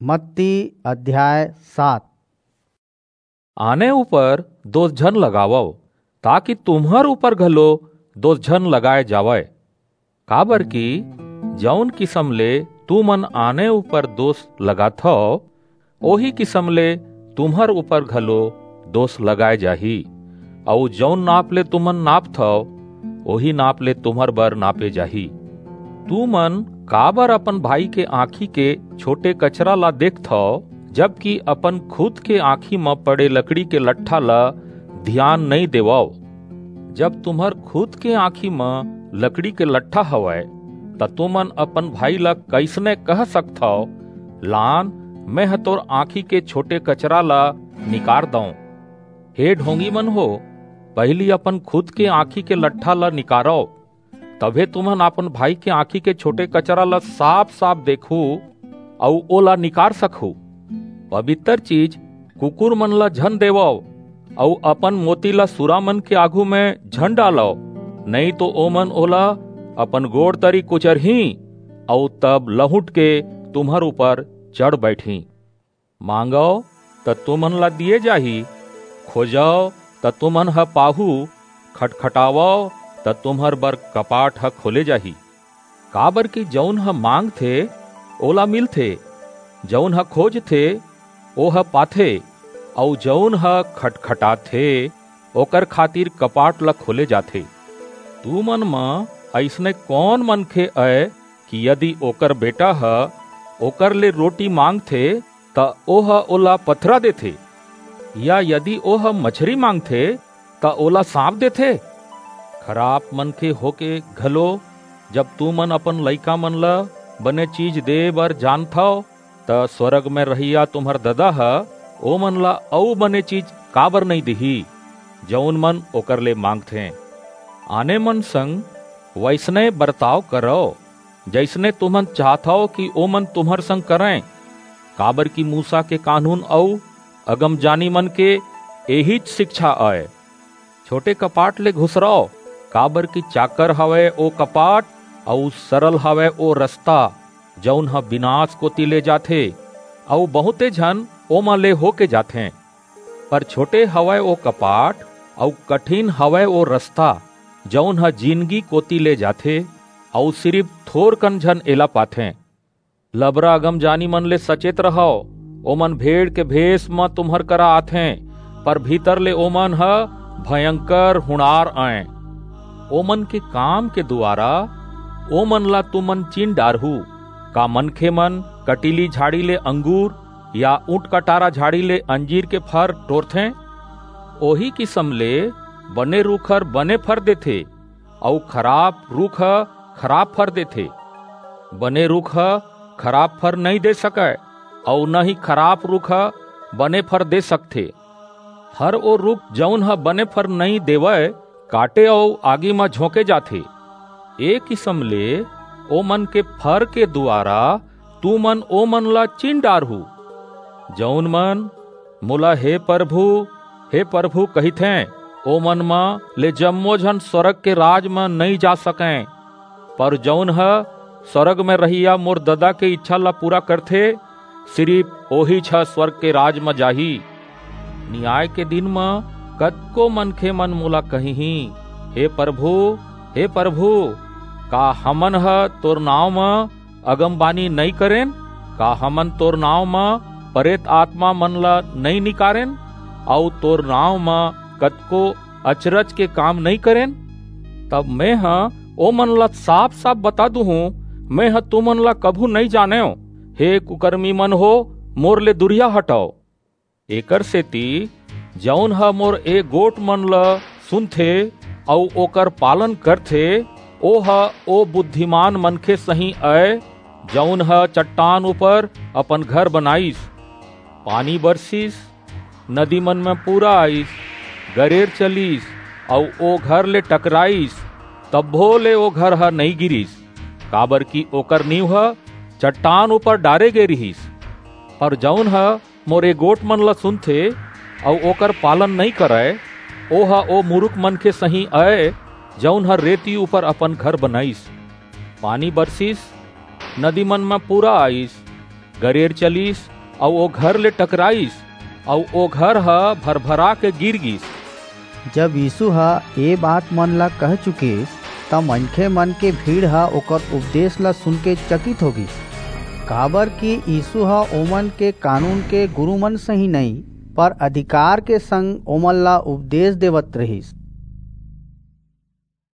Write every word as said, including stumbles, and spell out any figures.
मत्ती अध्याय सात। आने ऊपर दोष झन लगावव, ताकि तुम्हर ऊपर घलो दोष झन लगाए जावय। काबर कि जऊन किसम ले तुमन आने ऊपर दोष लगाथव, ओही किसम ले तुम्हर ऊपर घलो दोष लगाए जाही, अऊ जऊन नाप ले तुमन नापथव, ओही नाप ले तुम्हर बर नापे जाही। तुमन काबर अपन भाई के आँखी के छोटे कचरा ला देखथव, जबकि अपन खुद के आँखी म पड़े लकड़ी के लट्ठा ला धियान नइं देवव? जब तुम्हर खुद के आँखी म लकड़ी के लट्ठा हवय, त तुमन अपन भाई ला कइसने कह सकथव, "लान, मेंह तोर आँखी के छोटे कचरा ला निकार दंव"? हे ढोंगी मन हो, पहिली अपन खुद के आँखी के लट्ठा ला निकारव, तभे तुमन अपन भाई के आँखी के छोटे कचरा ला साफ-साफ देखहू अऊ ओला निकार सकहू। पबितर चीज कुकुर मन ला झन देवव, अऊ अपन मोती ला सुरा मन के आघू म झन डालव, नइं तो ओमन ओला अपन गोड़ तरी कुचरहीं, अऊ तब लहुट के तुम्हर ऊपर चढ़ बइठहीं। मांगव, त तुमन ला दिये जाही, खोजव, त तुमन ह पाहू, खटखटावव, त तुम्हर बर कपाट ह खोले जाही। काबर कि जऊन ह मांगथे, ओला मिलथे, जऊन ह खोजथे, ओह पाथे, अऊ जऊन ह खटखटाथे, ओकर खातिर कपाट ला खोले जाथे। तुमन म अइसने कौन मनखे अय कि यदि ओकर बेटा ह ओकर ले रोटी मांगथे, त ओह ओला पथरा देथे? या यदि ओह मछरी मांगथे, त ओला सांप देथे? खराप मनखे होके घलो, जब तुमन अपन लइका मन ल बने चीज दे बर जानथव, त स्वर्ग म रहइया तुम्हर ददा ह ओमन ल अऊ बने चीज काबर नइं दिही, जऊन मन ओकर ले मांगथें? आने मन संग वइसने बरताव करव, जइसने तुमन चाहथव कि ओमन तुम्हर संग करंय, काबर कि मूसा के कानून अऊ अगमजानी मन के एहीच सिकछा अय। छोटे कपाट ले घुसरव, काबर कि चाकर हवय ओ कपाट, अऊ सरल हवय ओ रसता, जऊन ह बिनास कोति ले जाथे, अऊ बहुंते झन ओमा ले होके जाथें। पर छोटे हवय ओ कपाट, अऊ कठिन हवय ओ रसता, जऊन ह जिनगी कोति ले जाथे, अऊ सिरिप थोरकन झन एला पाथें। लबरा अगमजानी मन ले सचेत रहव, ओमन भेड़ के भेस म तुम्हर करा आथें, पर भीतर ले ओमन ह भयंकर हुंड़ार अंय। ओमन के काम के दुवारा ओमन ला तुमन चिन डारहू। का मनखे मन कटीली झाड़ी ले अंगूर या ऊंट कटारा झाड़ी ले अंजीर के फर टोरथें? ओही किसम ले बने रूख हर बने फर देथे, अऊ खराप रूख ह खराप फर देथे। बने रूख ह खराप फर नइं दे सकय, अऊ न ही खराप रूख ह बने फर दे सकथे। हर ओ रूख, जऊन ह बने फर नइं देवय, काटे अऊ आगी म झोंके जाथे। ए किसम ले ओमन के फर के दुवारा तुमन ओमन ला चिन डारहू। जऊन मन मोला "हे परभू, हे परभू" कहिथें, ओमन म ले जम्मो झन स्वर्ग के राज म नइं जा सकंय। पर जऊन ह स्वर्ग म रहइया मोर ददा के इच्छा ला पूरा करथे, सिरिप ओहीच ह स्वर्ग के राज म जाही। नियाय के दिन म कतको मनखे मन मोला कहिहीं, "हे परभू, हे परभू, का हमन ह तोर नांव म अगमबानी नइं करेन? का हमन तोर नांव म परेत आतमा मन ला नइं निकारेन, अऊ तोर नांव म कतको अचरज के काम नइं करेन?" तब मेंह ओमन ला साफ-साफ बता दूहूं, "मेंह तुमन ला कभू नइं जानेंव। हे कुकरमी मन हो, मोर ले दूरिहा हटव।" एकरसेति जऊन ह मोर ए गोठ मन ल सुनथे अऊ ओकर पालन करथे, ओह ओ बुद्धिमान मनखे सहीं अय, जऊन ह चट्टान ऊपर अपन घर बनाईस। पानी बरसिस, नदी मन म पूरा आईस, गरेर चलिस, अऊ ओ घर ले टकराईस, तभो ले ओ घर ह नइं गिरिस, काबरकि ओकर नींव ह चट्टान ऊपर डारे गे रिहिस। पर जऊन ह मोर ए गोठ मन ल सुनथे अऊ ओकर पालन नइं करय, ओह ओ मुरुख मनखे सहीं अय, जऊन ह रेती ऊपर अपन घर बनाईस। पानी बरसिस, नदी मन म पूरा आईस, गरेर चलिस, अऊ ओ घर ले टकराइस, अऊ ओ घर ह भरभरा के गिर गिस। जब यीसू ह ए बात मन ला कह चुकिस, त मनखे मन के भीड़ ह ओकर उपदेस ला सुनके चकित हो गिस, काबरकि यीसू ह ओमन के कानून के गुरू मन सहीं नइं, पर अधिकार के संग ओमन ला उपदेस देवत रिहिस।